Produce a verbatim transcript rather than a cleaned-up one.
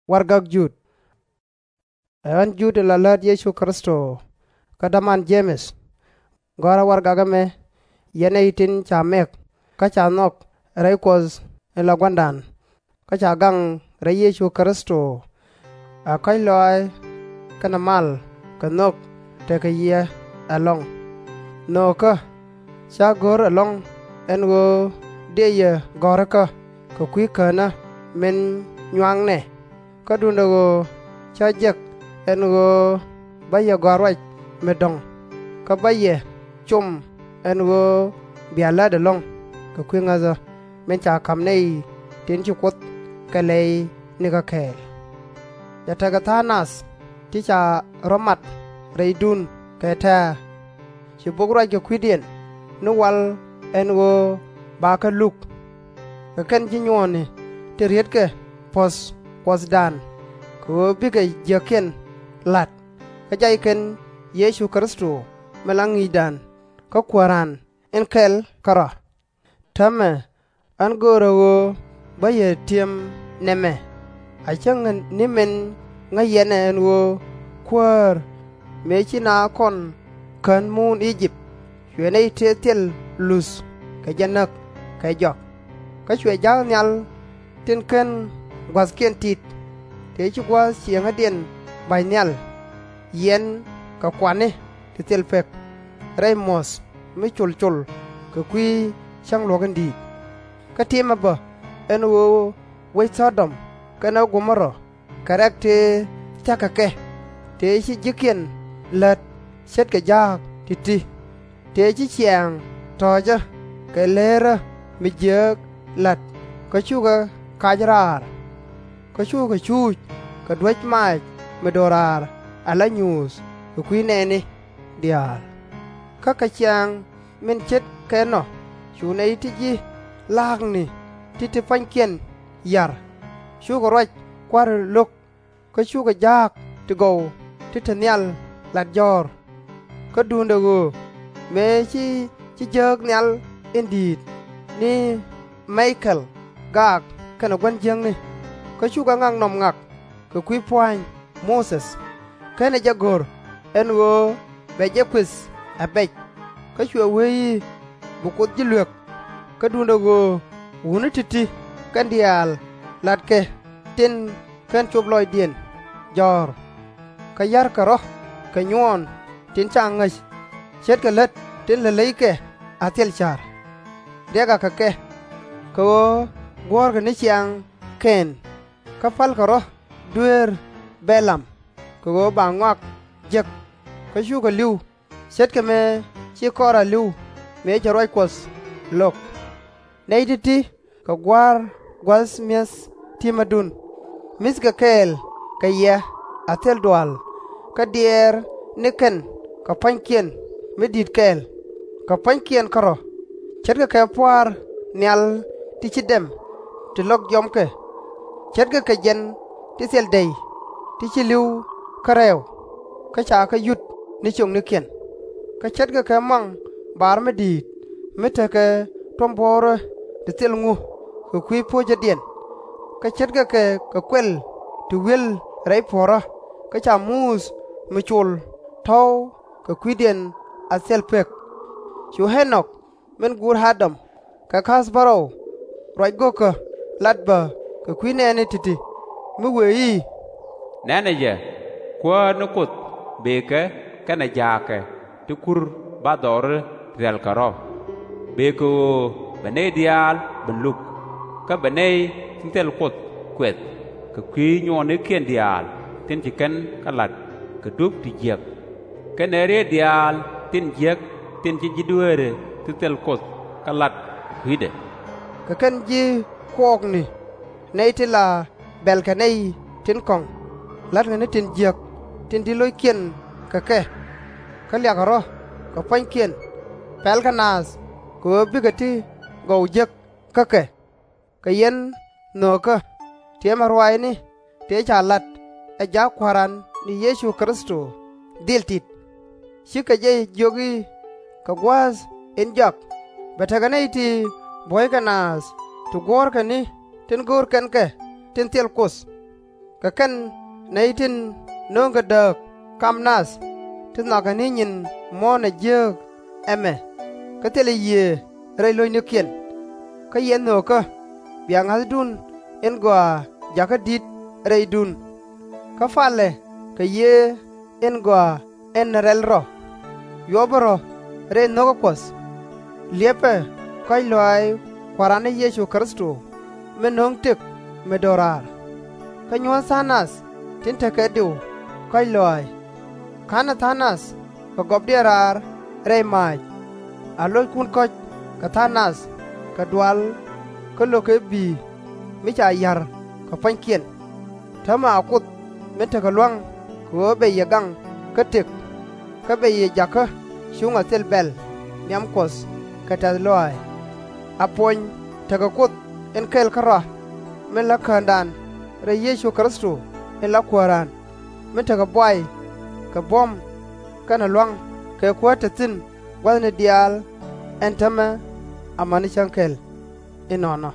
Warɛgak Jud. Ɛ ɣän Jud in la läät Yecu Kritho, kä däman Je-mɛth. Gɔ̱a̱rä warɛgak ɛmɛ, yɛn nɛy tin ca mɛk kä ca nhɔk rɛy Kuɔth in la Gua̱a̱ra, kä ca gaŋ rɛy Yecu Kritho. Ɛ kɔ̱a̱c lɔaac kɛnɛ mal kɛ nhök tekɛ yɛ ɛlɔ̱ŋ. Nhöökä, /cä go̱r ɛlɔ̱ŋ ɛn ɣöö dëë yɛ gɔ̱rikä kɛ kui̱ Känä min nyuaknɛ, kä duundɛ ɣöö cä jek ɛn ɣöö bä yɛ gɔ̱a̱r ruac mi dɔ̱ŋ, kä bä yɛ com ɛn ɣöö bia lät ɛlɔ̱ŋ kɛ kui̱ ŋäthä min ca ka̱m nɛy tin ci Kuoth kɛ lɛy nikä kɛɛl. Cɛ tekɛ tha̱a̱ŋ nath ti ca rɔ̱ mat rɛydun kɛ tɛ̱̈ɛ̱̈. Ci bok ruac kɛ kui̱diɛn ni wal ɛn ɣöö bakɛ luk. Kɛ kɛn ji̱ nyuɔɔni tin rietkɛ puɔ̱th Kuɔthdan, kɛ ɣöö bikɛ jiäkiɛn la̱t, kä jay kɛn Yecu Kritho min la Ŋi̱i̱cdan kä Kuääran in kɛl kärɔ̱. Täämɛ ɣän göörä ɣöö bä yɛ ti̱em nɛmɛ, a cäŋ ni min ŋäc yɛn ɛ ɛn ɣöö Kuäär, mëë ci naath kɔn kän muun I-jëp, cuɛ nɛy tëë thil luth kɛ jɛ näk kɛ jɔak. Kä cuɛ ja̱a̱k nhial tin /ken gua̱thkiɛn tit, tëë ci gua̱a̱th cieŋädiɛn ba̱ny nhial, yiɛn kɛ kuani ti thil pek, rɛy muɔ̱th mi col col kɛ kui̱ cäŋ luɔ̱k in di̱i̱t. Kä ti̱mɛ bä ɛn ɣöö wec Thɔ-dɔm kɛnɛ Go-mo-ra kɛ rɛ̈k tëë thia̱k kɛ kɛ, tëë ci ji̱kiɛn lät ce̱tkɛ ja̱a̱k ti̱ti̱, tëë ci ciaŋ tɔ̱ɔ̱cä kɛ leerä mi jiääk la̱t, kä cukɛ kac raar. Kä cukɛ cuuc kɛ duäc maac mi do̱raar ala nyuuth kɛ kui̱ nɛɛni diaal. Kä kɛ ciaŋ min ce̱tkɛ ɛnɔ cu nɛy ti ji̱ la̱a̱kni ti te pua̱nykiɛn ya̱r, cukɛ ruac kua̱ri lo̱k, kä cukɛ ja̱a̱k ti gɔw ti te nhial lat jɔ̱ɔ̱r. Kä duundɛ ɣöö mëë ci ji̱ jääk nhial in di̱i̱t ni Mi-ka-el gaak kɛnɛ gua̱n jiäkni, kä cukɛ ŋak nɔm ŋak kɛ kui̱ pua̱a̱ny Muthɛ, /kenɛ jɛ go̱r ɛn ɣöö bɛ jɛ kuëth a bɛc. Kä cuɛ wee i̱, bi Kuoth ji̱ luek. Kä duundɛ ɣöö wutni ti̱ti̱ kɛn diaal latkɛ tin /ken cop lɔcdiɛn jɔ̱ɔ̱r, kä ya̱rkɛ rɔ̱ kɛ nyuɔɔn tin /ca ŋäc, ce̱tkɛ lät tin lät leykɛ a thil ca̱r. Riɛk akɛ kɛ, kɛ ɣöö guɔ̱ɔ̱rkɛ ni ciaŋ Kɛn, kä pälkɛ rɔ̱ dueer Bɛ-lam, kɛ ɣöö ba ŋɔak jek, kä cukɛ li̱w, ce̱tkɛ mëë ci Kɔ-ra li̱w mëë cɛ ruac Kuɔth lo̱k. Nɛy ti̱ti̱ kɛ gua̱a̱r gua̱th mi̱eth ti̱mädun, mi̱thkɛ kɛɛl kɛ yɛ a thil dual, kä diɛɛr ni kɛn kɛ pua̱nykiɛn mi di̱i̱t kɛɛl, kɛ pua̱nykiɛn kärɔ̱, ce̱tkɛ kɛ pua̱a̱r nhial ti /ci dɛm ti lɔk jiɔam kɛ, ce̱tkɛ kɛ jiɛn ti thil dɛy ti /ci li̱w kä rɛɛw, kä ca kɛ yut ni ciöknikiɛn, kä ce̱tkɛ kɛ muaŋ bar mi di̱i̱t mi tekɛ tuɔ̱mbuɔ̱ɔ̱rä ti thil ŋu kɛ kui̱ po̱cädiɛn, kä ce̱tkɛ kɛ kɛ kuɛl ti wi̱el rɛy puɔ̱ɔ̱rä, kä ca muth mi col tɔ̱w kɛ kui̱diɛn a thil pek. Cu Ä-nɔk min guur A-dam kɛ ka̱a̱th bärɔw ruac go̱o̱kä lat bä kɛ kui̱ nɛɛni ti̱ti̱, mi wëë i̱, Nɛ̈nɛ jɛ, Kuäär ni Kuoth bëëkɛ kɛnɛ ja̱a̱kɛ ti kur bathdɔɔri ti rɛ̈lkɛ rɔ̱. Bëë kɛ ɣöö bɛ nɛy diaal ben luk, kä bɛ nɛy tin thil Kuoth kuɛth kɛ kui̱ nyuɔɔnikiɛn diaal tin ci kɛn kɛ la̱t kɛ dup ti jiäk, kɛnɛ rieet diaal tin jiäk tin ci ji̱ dueeri ti thil Kuoth kɛ la̱t kɛ kui̱dɛ. Kɛ kɛn ji̱ kuɔɔkni, nɛy ti la bɛ̈lkɛ nɛy tin kɔ̱ŋ, la̱tkɛ ni tin jiäk tin di̱t lo̱ckiɛn kɛ kɛ, kä liakɛ rɔ̱ kɛ pua̱nykiɛn, pɛlkɛ naath kɛ ɣöö bikɛ ti gɔw jek kä kɛ. Kɛ yɛn nhöökä, tiɛmɛ ruaacni tëë ca lat ɛ jaak Kua̱ran ni Yecu Kritho dhil tit. /Cikɛ jɛ jiök i̱, Kɛ gua̱a̱th in jɔak bɛ tekɛ nɛy ti buɔ̱ykɛ naath ti guɔ̱ɔ̱rkɛ ni tin go̱o̱r kɛn kɛ tin thil Kuoth. Kɛ kɛn, nɛy tin nööŋkɛ dääk kam nath, ti nhɔakɛ ni nyin muɔ̱ɔ̱n ɛ jiääk ɛmɛ, kä thilɛ Yiëë rɛy lo̱cnikiɛn, kä yɛ nhöökä bia ŋa̱thdun in gɔaa jakä di̱t rɛydun. Kä palɛ kɛ Yiëë in Gɔaa in Rɛl Rɔ, yuɔpɛ rɔ̱ rɛy nho̱kä Kuɔth. Liɛpɛ kɔ̱a̱c lɔaac Kua̱ran ni Yecu Kritho min no̱o̱ŋ tëk mi do̱raar. Kä nyuɔ̱th tha̱a̱ŋ nath tin tekɛ diw kɔ̱a̱c lɔaac. Ka̱nɛ tha̱a̱ŋ nath kɛ gɔpdiɛn raar rɛy maac. A lo̱ckun kɔ̱c kɛ tha̱a̱ŋ nath kɛ dual kä lo̱kɛ bi̱i̱ mi ca ya̱r kɛ pua̱nykiɛn. Täämɛ a Kuoth min tekɛ lua̱ŋ kɛ ɣöö bɛ yɛ gaŋ kä tëk, kä bɛ yɛ jakä cuŋ a thil bɛ̈l nhiam Kuɔth kɛ tɛ̈th lɔaac. A puɔny tekɛ Kuoth in kɛl kärɔa, min la Käändan rɛy Yecu Kritho in la Kuääran, min tekɛ buay kɛ buɔ̱m kɛnɛ lua̱ŋ kɛ kuäär te thi̱n gua̱thni diaal. Ɛn täämɛ amäni cäŋ kɛl. Inɔnɔ.